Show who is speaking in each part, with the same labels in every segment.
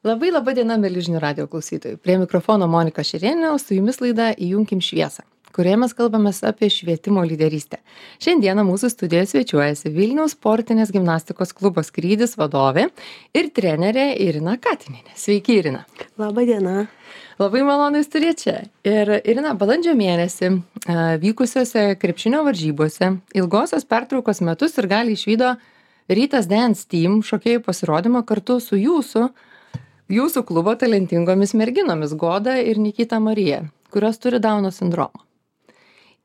Speaker 1: Labai laba diena, mėly žinių radio klausytojai. Prie mikrofono Monika Šerėnė, o su jumis laida Įjunkim šviesą, kurioje mes kalbame apie švietimo lyderystę. Šiandieną mūsų studijoje svečiuojasi Vilniaus sportinės gimnastikos klubo Skrydis vadovė ir trenerė Irina Katinienė. Sveiki, Irina.
Speaker 2: Labą dieną.
Speaker 1: Labai malonu jūs turėti čia. Ir Irina, balandžio mėnesį vykusiose krepšinio varžybose ilgosios pertraukos metus ir gali išvydo Rytas Dance Team šokėjų pasirodymą kartu su jūsų klubo talentingomis merginomis Goda ir Nikita Marija, kurios turi Dauno sindromą.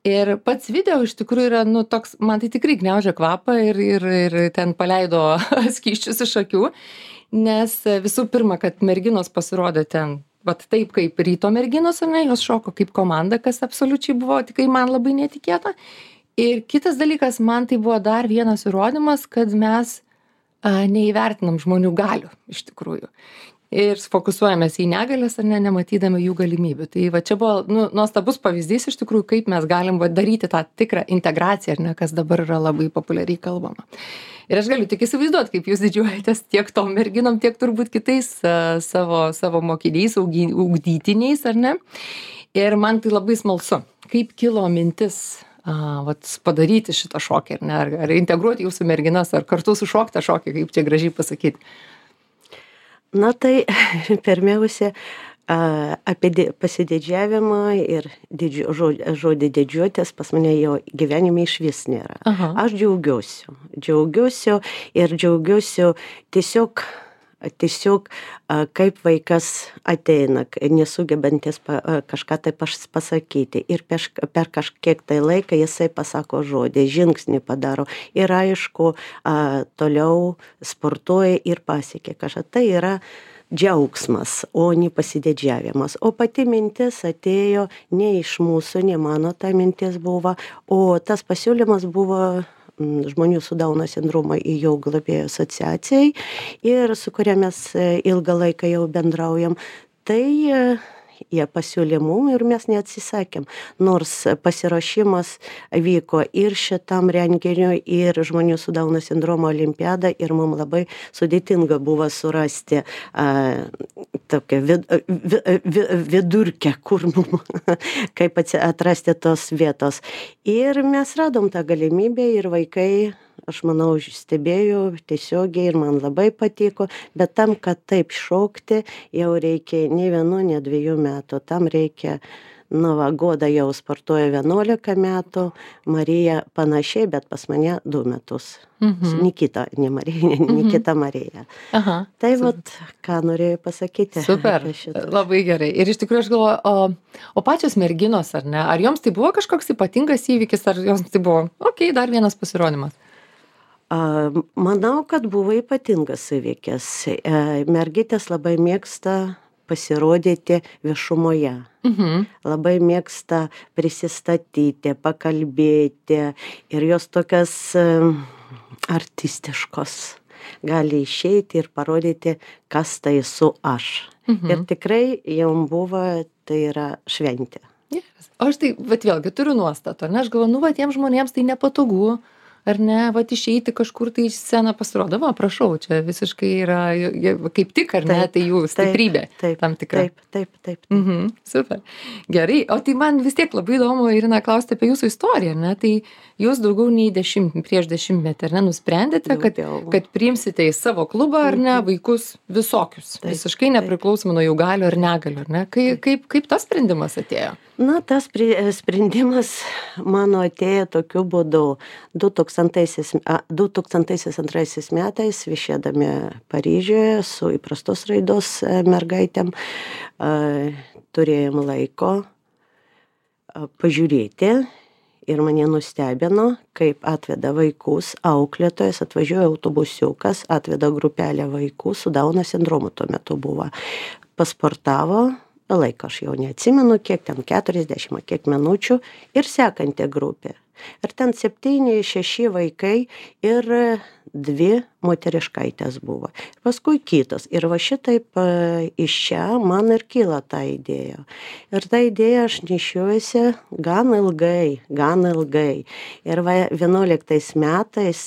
Speaker 1: Ir pats video iš tikrųjų yra, toks, man tai tikrai gniaužia kvapą ir ten paleido skysčius iš akių, nes visų pirma, kad merginos pasirodė ten, vat taip kaip Ryto merginos, ar ne, jos šoko kaip komanda, kas absoliučiai buvo tikrai man labai netikėta. Ir kitas dalykas, man tai buvo dar vienas įrodymas, kad mes neįvertinam žmonių galių iš tikrųjų. Ir fokusuojamės į negalės ar ne, nematydami jų galimybių. Tai va čia buvo nuostabus pavyzdys iš tikrųjų, kaip mes galim daryti tą tikrą integraciją, ar ne, kas dabar yra labai populiariai kalbama. Ir aš galiu tik įsivaizduoti, kaip jūs didžiuojatės tiek tom merginom, tiek turbūt kitais savo mokiniais, ugdytiniais, ar ne. Ir man tai labai smalsu, kaip kilo mintis padaryti šitą šokį, ar ne, ar integruoti jūsų merginas, ar kartu sušokti tą šokį, kaip čia gražiai pasakyti.
Speaker 2: Na tai pirmiausia, apie pasididžiavimą ir žodį didžiuotės pas mane jo gyvenime iš vis nėra.
Speaker 1: Aha.
Speaker 2: Aš džiaugiuosi ir džiaugiuosi tiesiog kaip vaikas ateina, nesugebantis kažką tai pasakyti. Ir per kažkiek tai laiką jisai pasako žodį, žingsnį padaro. Ir aišku, toliau sportuoja ir pasiekia kažką. Tai yra džiaugsmas, o ne pasididžiavimas. O pati mintis atėjo ne iš mūsų, ne mano ta mintis buvo, o tas pasiūlymas buvo žmonių su Dauno sindromu jau globėjų asociacijai ir su kuria mes ilgą laiką jau bendraujam. Tai jie pasiūlė mum ir mes neatsisakėm. Nors pasiruošimas vyko ir šitam renginiui, ir žmonių su Dauno sindromo olimpiada ir mum labai sudėtinga buvo surasti tokią vidurkę, kur mum kaip atrasti tos vietos. Ir mes radom tą galimybę ir vaikai, aš manau, stebėjau tiesiogiai ir man labai patiko, bet tam, kad taip šokti, jau reikia ne 1, ne 2 metų. Tam reikia, Goda jau sportuoja 11 metų, Marija panašiai, bet pas mane 2 metus. Nikita, ne Marija, Nikita Marija.
Speaker 1: Aha.
Speaker 2: Tai vat, ką norėjau pasakyti.
Speaker 1: Super, labai gerai. Ir iš tikrųjų aš galvoju, o pačios merginos, ar ne, ar joms tai buvo kažkoks ypatingas įvykis, ar joms tai buvo, dar vienas pasirodymas?
Speaker 2: Manau, kad buvo ypatingas įvykis. Mergytės labai mėgsta pasirodyti viešumoje. Labai mėgsta prisistatyti, pakalbėti ir jos tokias artistiškos. Gali išeiti ir parodyti, kas tai esu aš. Ir tikrai jom buvo, tai yra šventė.
Speaker 1: Yes. O aš tai, bet vėlgi, turiu nuostatą, ne? Aš galvoju, tiems žmonėms tai nepatogu, ar ne, išeiti kažkur tai į sceną pasirodo, prašau, čia visiškai yra, kaip tik, ar ne, tai jų stiprybė tam tikra.
Speaker 2: Taip.
Speaker 1: Super. Gerai, o tai man vis tiek labai įdomu, Irina, klausti apie jūsų istoriją, ne, tai jūs daugiau nei prieš 10 metį, ar ne, nusprendėte, kad priimsite į savo klubą, ar ne, vaikus visokius, visiškai nepriklausomai nuo jų galių ar negalių, ar ne, kaip tas sprendimas atėjo?
Speaker 2: Na, tas sprendimas mano atėjo tokiu būdu. 2002 metais viešėdami Paryžiuje su įprastos raidos mergaitėm turėjom laiko pažiūrėti ir mane nustebino, kaip atveda vaikus, auklėtojas, atvažiuoja autobusiukas, atveda grupelę vaikų su Dauno sindromu tuo metu buvo. Pasportavo, laiką aš jau neatsimenu, kiek ten 40, kiek minučių ir sekanti grupė. Ir ten 7-6 vaikai ir 2 moteriškaitės buvo. Paskui kitos. Ir va šitaip iš čia man ir kyla ta idėja. Ir ta idėja aš nešiojuosi gan ilgai. Ir va 11 metais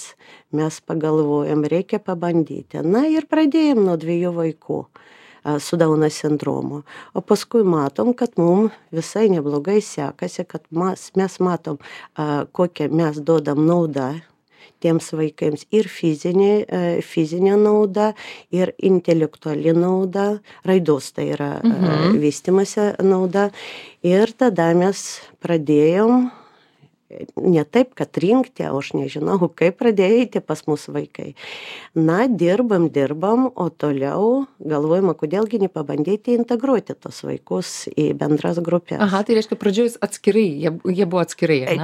Speaker 2: mes pagalvojom, reikia pabandyti. Na ir pradėjom nuo 2 vaikų. su Dauno sindromu. O paskui matom, kad mums visai neblogai sekasi, kad mes matom, kokią mes duodam naudą tiems vaikams ir fizinė nauda, ir intelektuali nauda, raidos tai yra vystymasi nauda. Ir tada mes pradėjom ne taip, kad rinkti, o aš nežinau, kaip pradėjo eiti pas mūsų vaikai. Na, dirbam, o toliau galvojama, kodėlgi nepabandyti integruoti tos vaikus į bendras grupės.
Speaker 1: Aha, tai reiškia pradžioj atskirai, jie buvo atskirai, ne?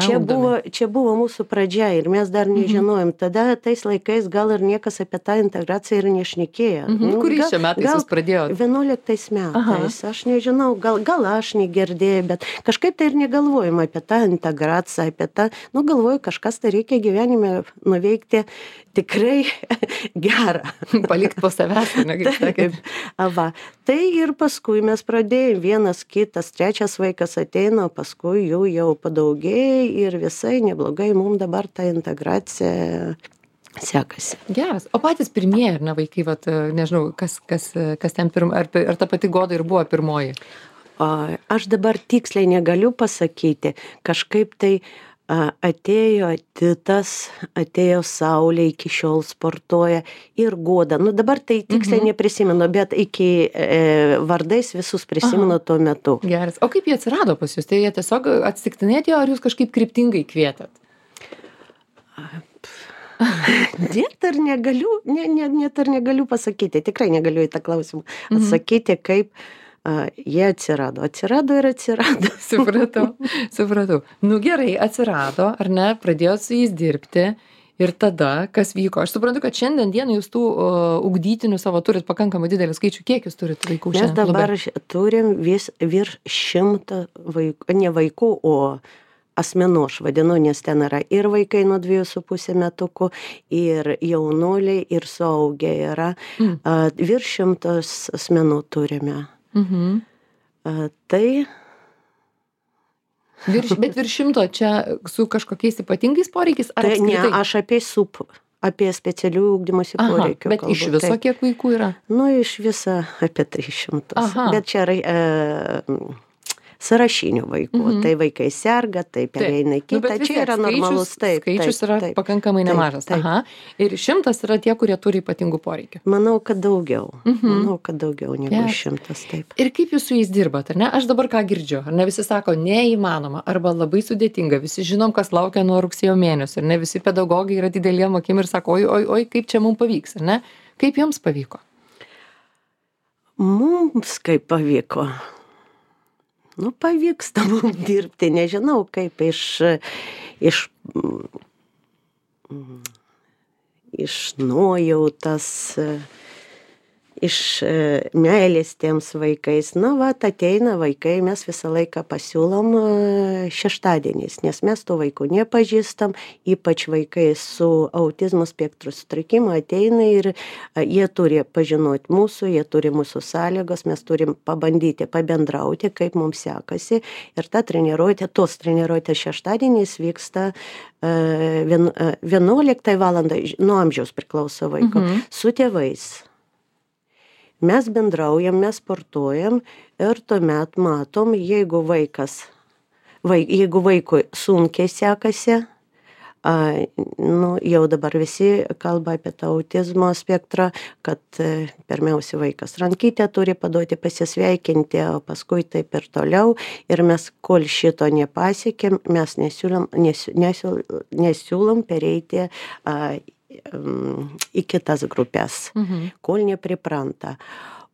Speaker 2: Čia buvo mūsų pradžia ir mes dar nežinojom. Tada tais laikais gal ir niekas apie tą integraciją ir nešnekėjo.
Speaker 1: Kuriais čia metais jūs pradėjote?
Speaker 2: 11 metais. Aš nežinau, gal aš negirdėjau, bet kažkaip tai ir negalvojom apie tą integraciją, apie tą, galvoju, kažkas tai reikia gyvenime nuveikti tikrai gerą.
Speaker 1: Palikti po savęs, ne, kaip sakėt.
Speaker 2: Tai ir paskui mes pradėjome, vienas, kitas, trečias vaikas ateina, paskui jų jau padaugėjo ir visai neblogai mums dabar ta integracija sekasi.
Speaker 1: Geras. O patys pirmieji, ar ne, vaikai, nežinau, kas ten ar ta pati Goda ir buvo pirmoji?
Speaker 2: Aš dabar tiksliai negaliu pasakyti, kažkaip tai atėjo Titas, atėjo Saulė, iki šiol sportuoja ir Goda. Dabar tai tiksliai neprisimenu, bet iki vardais visus prisimenu tuo metu.
Speaker 1: Geras. O kaip jie atsirado pas jūs? Tai jie tiesiog atsitiktinai atėjo, ar jūs kažkaip kryptingai kvietėt?
Speaker 2: Net ar negaliu pasakyti, tikrai negaliu į tą klausimą atsakyti, kaip jie atsirado ir atsirado.
Speaker 1: Supratau. Gerai, atsirado, ar ne, pradėjot su jais dirbti ir tada, kas vyko? Aš suprantu, kad šiandien dieną jūs tų ugdytinių savo turit pakankamai didelį skaičių. Kiek jūs turit vaikų šiandien?
Speaker 2: Mes dabar turim virš 100 vaikų, ne vaikų, o asmenų, aš vadinu, nes ten yra ir vaikai nuo 2,5 metukų, ir jaunuoliai, ir suaugę yra. Virš 100 asmenų turime. Tai...
Speaker 1: Bet virš 100 čia su kažkokiais ypatingais poreikiais?
Speaker 2: Ne, aš apie specialių ugdymosi poreikių.
Speaker 1: Bet iš viso kiek vaikų yra?
Speaker 2: Iš viso apie 300. Bet čia yra sąrašinių vaikų. Tai vaikai serga, tai pereina kitą. Čia yra normalus.
Speaker 1: Skaičius yra pakankamai nemažas. Ir 100 yra tie, kurie turi ypatingų poreikių.
Speaker 2: Manau, kad daugiau. Negu 100. Taip.
Speaker 1: Ir kaip jūs su jais dirbat, ar ne? Aš dabar ką girdžiu, ar ne, visi sako, neįmanoma, arba labai sudėtinga. Visi žinom, kas laukia nuo rugsėjo mėnesio, ar ne? Visi pedagogai yra dideliem akim ir sako, oi, kaip čia mums pavyks, ar ne? Kaip jums pavyko?
Speaker 2: Mums kaip pavyko. Pavyksta mums dirbti, nežinau, kaip iš nuojautos, iš meilės tiems vaikais. Ateina vaikai, mes visą laiką pasiūlom šeštadieniais, nes mes tų vaikų nepažįstam, ypač vaikai su autizmo spektro sutrikimu ateina ir jie turi pažinoti mūsų, jie turi mūsų sąlygos, mes turim pabandyti pabendrauti, kaip mums sekasi. Ir tos treniruotės šeštadieniais vyksta 11 valandą, nuo amžiaus priklauso vaiko, su tėvais. Mes bendraujam, mes sportuojam ir tuomet matom, jeigu vaikui sunkiai sekasi, jau dabar visi kalba apie tą autizmo spektrą, kad pirmiausia vaikas rankytę turi paduoti pasisveikinti, o paskui taip ir toliau. Ir mes, kol šito nepasiekėm, mes nesiūlom pereiti į kitas grupės, kol nepripranta.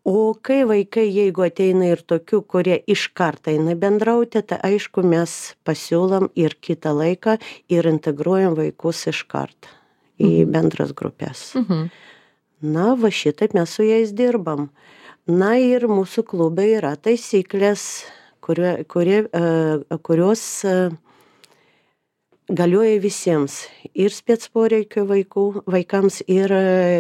Speaker 2: O kai vaikai, jeigu ateina ir tokių, kurie iš karto eina bendrauti, tai aišku, mes pasiūlom ir kitą laiką ir integruojam vaikus iš karto į bendras grupės. Šitaip mes su jais dirbam. Ir mūsų klube yra taisyklės, kurios galioja visiems, ir spec poreikio vaikams, ir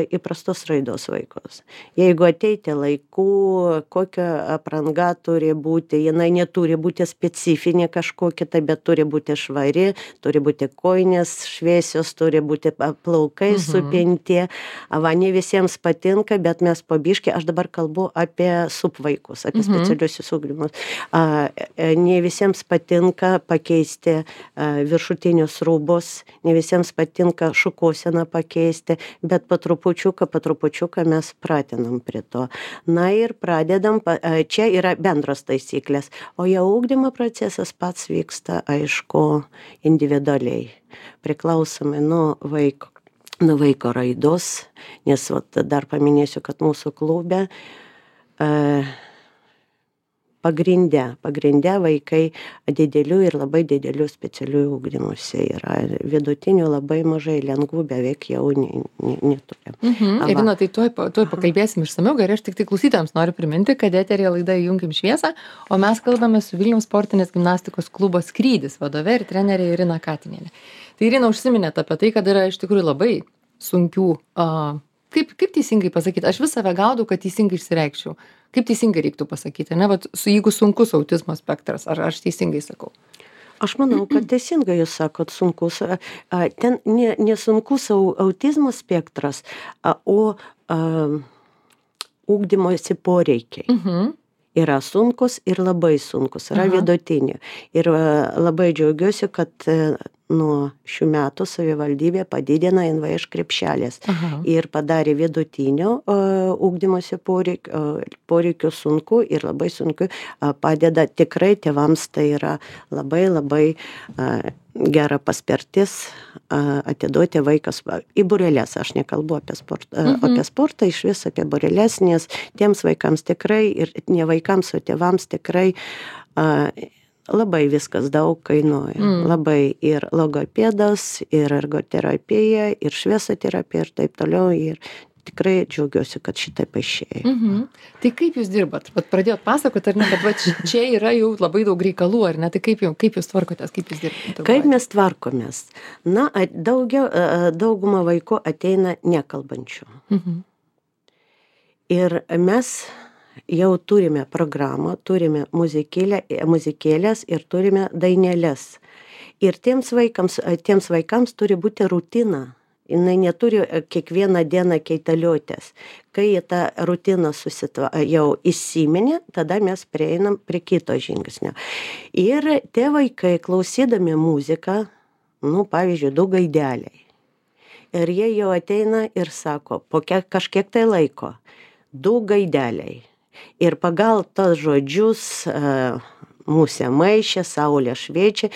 Speaker 2: įprastos raidos vaikus. Jeigu ateiti laiku, kokia apranga turi būti, jinai neturi būti specifinė kažkokia, tai bet turi būti švari, turi būti kojinės šviesios, turi būti plaukai supinti. Va, ne visiems patinka, bet mes po biškį, aš dabar kalbu apie subvaikus, apie specialiuosius ugdymus. Ne visiems patinka pakeisti viršutinius rūbus, ne visiems patinka šukuoseną pakeisti, bet po trupučiuką mes pratinam prie to. Na ir pradedam, čia yra bendros taisyklės, o jau ugdymo procesas pats vyksta, aišku, individualiai, priklausomai nuo vaiko raidos, nes dar paminėsiu, kad mūsų klube pagrinde vaikai didelių ir labai didelių specialių ugdymuose yra. Vidutinių labai mažai, lengvų beveik jau neturim.
Speaker 1: Irina, tai tuoj pakalbėsim išsamiau, gerai, aš tik tai klausytojams noriu priminti, kad eteryje laida Įjunkim šviesą, o mes kalbame su Vilniaus sportinės gimnastikos klubo Skrydis vadove ir trenerė Irina Katinienė. Tai Irina užsiminėte apie tai, kad yra iš tikrųjų labai sunkių, kaip teisingai pasakyti, aš vis save gaudau, kad teisingai išsireikščiau. Kaip teisingai reiktų pasakyti, ne? Vat, jeigu sunkus autizmo spektras, ar aš teisingai sakau?
Speaker 2: Aš manau, kad teisingai jūs sakot sunkus. Ten ne sunkus autizmo spektras, o ugdymosi poreikiai. Yra sunkus ir labai sunkus, yra vidutiniai. Ir labai džiaugiuosi, kad nuo šių metų savivaldybė padidina NVŠ krepšelės ir padarė vidutinio ugdymosi poreikių sunku ir labai sunku padeda tikrai tėvams, tai yra labai gera paspirtis atiduoti vaikas į būreles. Aš nekalbu apie sportą, iš vis apie būreles, nes tiems vaikams tikrai ir ne vaikams, o tėvams tikrai labai viskas daug kainuoja. Labai ir logopedas, ir ergoterapija, ir šviesoterapija ir taip toliau. Ir tikrai džiaugiuosi, kad šitai paaišėjo.
Speaker 1: Tai kaip jūs dirbat? Vat pradėjot pasakoti, ar ne, kad čia yra jau labai daug reikalų, ar ne? Tai kaip jūs tvarkotės, kaip jūs dirbate?
Speaker 2: Kaip mes tvarkomės? Na, dauguma vaikų ateina nekalbančių. Ir mes jau turime programą, turime muzikėlės ir turime dainelės. Ir tiems vaikams turi būti rutina. Jinai neturi kiekvieną dieną keitaliotės. Kai tą rutiną jau įsiminė, tada mes prieinam prie kito žingsnio. Ir tie vaikai, klausydami muziką, pavyzdžiui, 2 gaideliai. Ir jie jau ateina ir sako, po kažkiek tai laiko, 2 gaideliai. Ir pagal tos žodžius musė maišė, saulė šviečia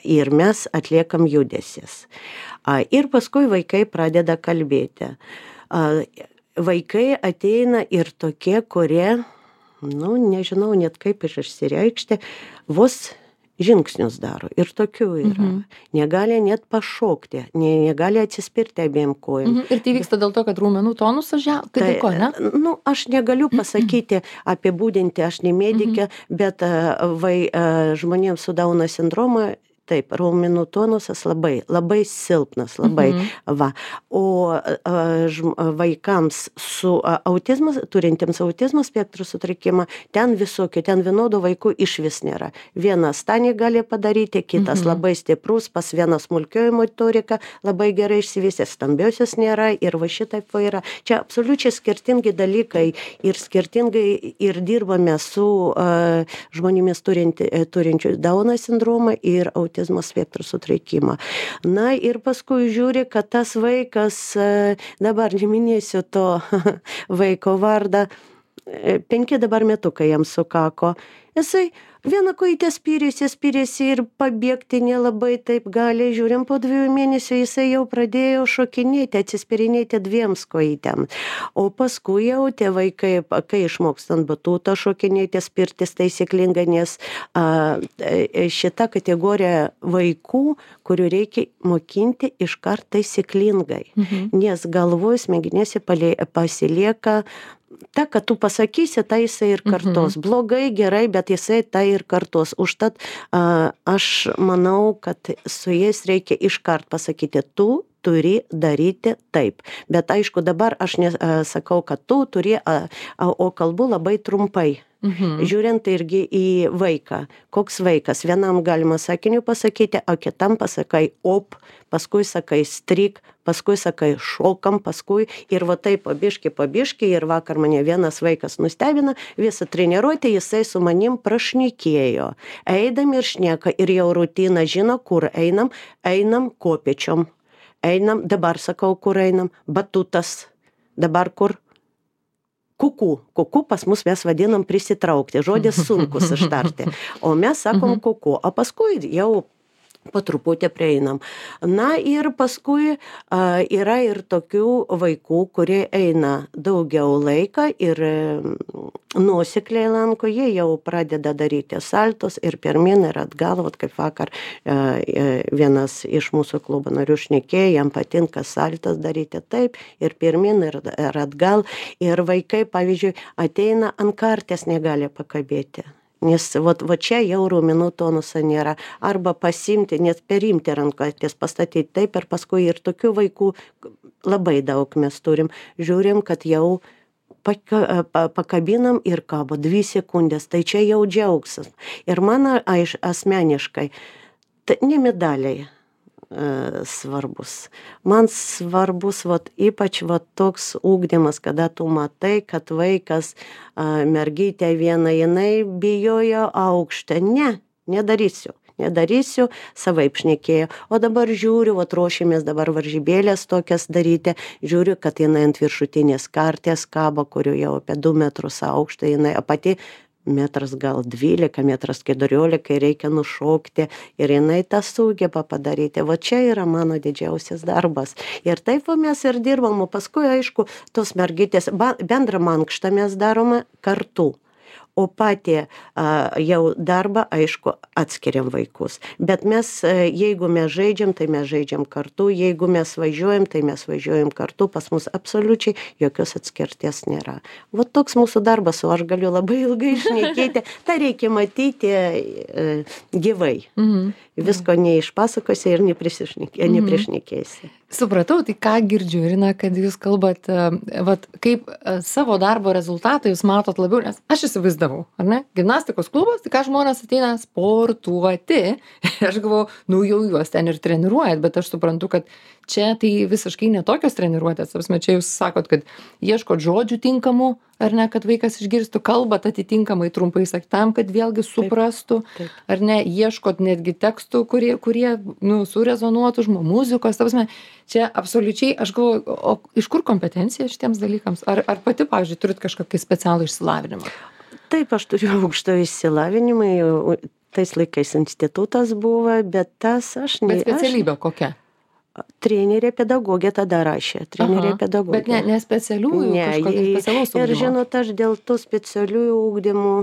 Speaker 2: ir mes atliekam judesius. Ir paskui vaikai pradeda kalbėti. Vaikai ateina ir tokie, kurie, nežinau net kaip išsireikšti, vos žingsnius daro. Ir tokių yra. Negali net pašokti, negali atsispirti abiem kojom.
Speaker 1: Ir tai vyksta dėl to, kad raumenų tonusas krito, ne?
Speaker 2: Aš negaliu pasakyti, apibūdinti, aš ne medikė, bet žmonėms su Dauno sindromu taip, raumenų tonusas labai silpnas, O vaikams su turintiems autizmo spektro sutrikimą, ten vienodų vaikų išvis nėra. Vienas tą negali padaryti, kitas labai stiprus, pas vieną smulkioji motorika labai gerai išsivystęs, stambiosios nėra ir va šitaip yra. Čia absoliučiai skirtingi dalykai ir skirtingai ir dirbame su žmonėmis turinčių Dauno sindromą ir autizmo spektro sutrikimą. Na ir paskui žiūri, kad tas vaikas, dabar neminėsiu to vaiko vardą, 5 dabar metukai jam sukako. Jisai vieną kojytę spyrėsi ir pabėgti nelabai taip gali. Žiūrim, po 2 mėnesių jisai jau pradėjo šokinėti, atsispirinėti 2 kojytėm. O paskui jau tie vaikai, kai išmokstant batutą šokinėti, spirtis taisyklingai, nes šita kategorija vaikų, kurių reikia mokinti iškart taisyklingai. Nes galvoj smegenėse pasilieka ta, kad tu pasakysi, tai jisai ir kartos. Blogai, gerai, bet jisai tai ir kartos. Užtat aš manau, kad su jais reikia iškart pasakyti, tu turi daryti taip. Bet aišku, dabar aš nesakau, kad tu turi, o kalbu labai trumpai. Žiūrint irgi į vaiką. Koks vaikas? Vienam galima sakiniu pasakyti, o kitam pasakai op, paskui sakai stryk, paskui sakai šokam, paskui ir va taip pabiški. Ir vakar mane vienas vaikas nustebina, visą treniruotę jisai su manim prašnekėjo. Eidam ir šneka ir jau rutina žino, kur einam kopėčiom. Einam, dabar sakau, kur einam, batutas, dabar kur? Kuku pas mus mes vadinam prisitraukti, žodis sunkus ištarti, o mes sakom kuku, o paskui jau po truputį prieinam. Na ir paskui yra ir tokių vaikų, kurie eina daugiau laiką ir nuosekliai lanko, jie jau pradeda daryti saltus ir pirmin ir atgal, vat kaip vakar vienas iš mūsų klubo narių šnekėjo, jam patinka saltas daryti taip ir pirmin ir atgal. Ir vaikai, pavyzdžiui, ateina ant karties negali pakabėti. Nes va čia jau raumenų tonuso nėra. Arba pasimti, net perimti rankotis, pastatyti taip ir paskui ir tokių vaikų labai daug mes turim. Žiūrim, kad jau pakabinam ir kabo 2 sekundės, tai čia jau džiaugsis. Ir man asmeniškai, tai ne medaliai svarbus. Man svarbus ypač toks ugdymas, kada tu matai, kad vaikas, mergytė viena, jinai bijojo aukštą. Nedarysiu, savaip šnekėjo. O dabar žiūriu, ruošimės dabar varžybėlės tokias daryti, žiūriu, kad jinai ant viršutinės karties kabo, kurių jau apie 2 metrus aukštą, jinai pati metras gal 12, metras 14, reikia nušokti ir jinai tą sugeba padaryti. Va čia yra mano didžiausias darbas. Ir taip mes ir dirbam, o paskui, aišku, tos mergytės, bendrą mankštą mes darome kartu. O patį jau darbą, aišku, atskiriam vaikus. Bet mes, jeigu mes žaidžiam, tai mes žaidžiam kartu, jeigu mes važiuojam, tai mes važiuojam kartu, pas mus absoliučiai jokios atskirties nėra. Va toks mūsų darbas, o aš galiu labai ilgai šnekėti, tai reikia matyti gyvai. Visko neišpasakosi ir neprišnekėsi.
Speaker 1: Supratau, tai ką girdžiu, Irina, kad jūs kalbat, kaip savo darbo rezultatą jūs matot labiau, nes aš įsivaizdavau, ar ne? Gimnastikos klubas, tai ką žmonės ateina sportuoti, aš galvoju, jau juos ten ir treniruojat, bet aš suprantu, kad čia tai visiškai netokios treniruotės, čia jūs sakot, kad ieškot žodžių tinkamų, ar ne, kad vaikas išgirstų, kalbat atitinkamai trumpai tam, kad vėlgi suprastų, ar ne, ieškot netgi tekstų, kurie surezonuotų muzikos, čia absoliučiai, aš galvoju, o iš kur kompetencija šitiems dalykams? Ar pati, pavyzdžiui, turit kažkokį specialų išsilavinimą?
Speaker 2: Taip, aš turiu aukštą išsilavinimą, tais laikais institutas buvo, bet tas aš ne...
Speaker 1: Bet specialybė kokia?
Speaker 2: Trenerė pedagogė tada rašė. Trenerė pedagogė.
Speaker 1: Bet ne specialiųjų, kažkokių specialaus ugdymo.
Speaker 2: Ir žinot, aš dėl tų specialiųjų ugdymų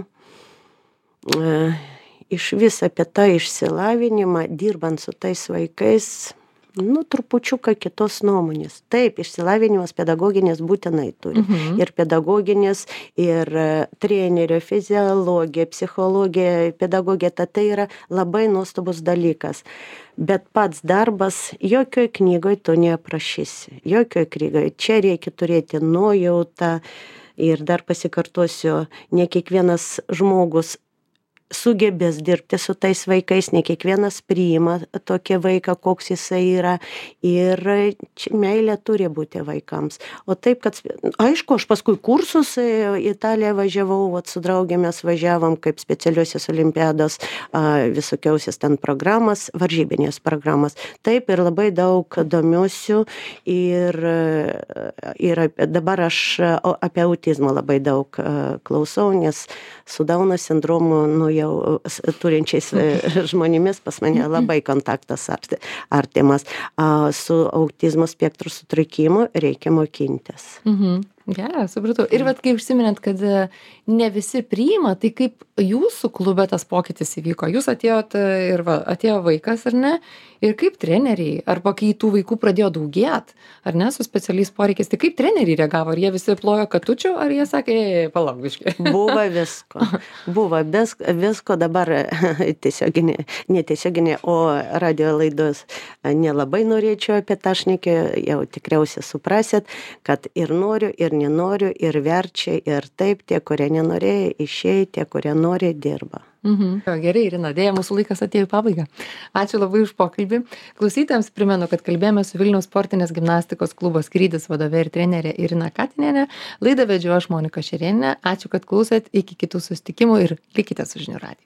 Speaker 2: iš vis apie tą išsilavinimą, dirbant su tais vaikais, trupučiuką kitos nuomonės. Taip, išsilavinimas pedagoginės būtinai turi. Ir pedagoginės, ir trenerio, fiziologija, psichologija, pedagogija, tai yra labai nuostabus dalykas. Bet pats darbas jokioj knygoj to neaprašysi. Jokioj knygoj. Čia reikia turėti nuojautą ir dar pasikartosiu, ne kiekvienas žmogus sugebės dirbti su tais vaikais, ne kiekvienas priima tokį vaiką, koks jisai yra. Ir meilė turi būti vaikams. O taip, kad, aišku, aš paskui kursus į Italiją važiavau, su draugėmis važiavom kaip specialiosios olimpiados, visokiausias ten programas, varžybinės programas. Taip, ir labai daug domiuosiu ir dabar aš apie autizmą labai daug klausau, nes su Dauno sindromu, jau turinčiais žmonėmis pas mane labai kontaktas artimas. Su autizmo spektro sutrikimu reikia mokintis.
Speaker 1: Geras, supratau. Ir vat kai užsiminėt, kad ne visi priima, tai kaip jūsų klube tas pokytis įvyko? Jūs atėjot ir atėjo vaikas, ar ne? Ir kaip treneriai, arba kai tų vaikų pradėjo daugėt, ar ne, su specialiais poreikiais, tai kaip treneriai reagavo? Ar jie visi plojo katučių, ar jie sakė, palauk biškį?
Speaker 2: Buvo visko. Buvo visko dabar netiesioginė, o radio laidos nelabai norėčiau apie tą šnekėti, jau tikriausiai suprasit, kad ir noriu, ir nenoriu, ir verčia, ir taip, tie, kurie nenorėjo, išėjo, tie, kurie nori, dirba.
Speaker 1: Gerai, Irina, dėja, mūsų laikas atėjo į pabaigą. Ačiū labai už pokalbį. Klausytojams primenu, kad kalbėjome su Vilniaus sportinės gimnastikos klubo Skrydis vadove ir trenerė Irina Katinienė. Laidą vedžiau aš, Monika Šerėnienė. Ačiū, kad klausėt. Iki kitų susitikimų ir likite su žinių radiju.